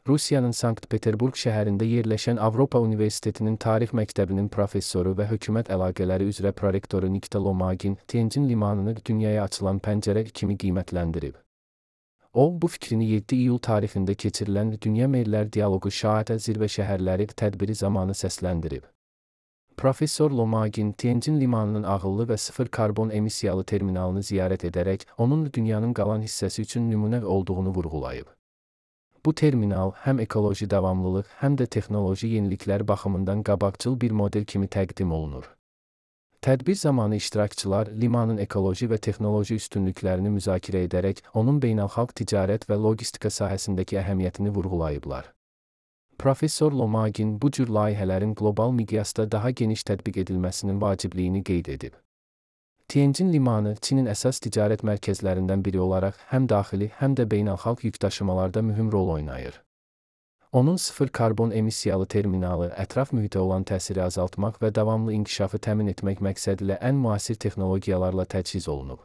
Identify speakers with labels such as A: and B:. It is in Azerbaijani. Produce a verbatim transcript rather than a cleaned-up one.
A: Rusiyanın Sankt-Peterburq şəhərində yerləşən Avropa Universitetinin Tarix Məktəbinin professoru və hökumət əlaqələri üzrə prorektoru Nikita Lomagin Tianjin limanını dünyaya açılan pəncərə kimi qiymətləndirib. O, bu fikrini yeddi iyul tarixində keçirilən Dünya Merlər Dialoqu Şahatə Zirvə Şəhərləri tədbiri zamanı səsləndirib. Professor Lomagin Tianjin limanının ağıllı və sıfır karbon emissiyalı terminalını ziyarət edərək, onun dünyanın qalan hissəsi üçün nümunə olduğunu vurğulayıb. Bu terminal həm ekoloji davamlılıq, həm də texnoloji yeniliklər baxımından qabaqcıl bir model kimi təqdim olunur. Tədbir zamanı iştirakçılar limanın ekoloji və texnoloji üstünlüklərini müzakirə edərək, onun beynəlxalq ticarət və logistika sahəsindəki əhəmiyyətini vurğulayıblar. Professor Lomagin bu cür layihələrin qlobal miqyasda daha geniş tətbiq edilməsinin vacibliyini qeyd edib. Tianjin limanı Çinin əsas ticarət mərkəzlərindən biri olaraq həm daxili, həm də beynəlxalq yükdaşımalarda mühüm rol oynayır. Onun sıfır karbon emissiyalı terminalı ətraf mühitə olan təsiri azaltmaq və davamlı inkişafı təmin etmək məqsədilə ən müasir texnologiyalarla təchiz olunub.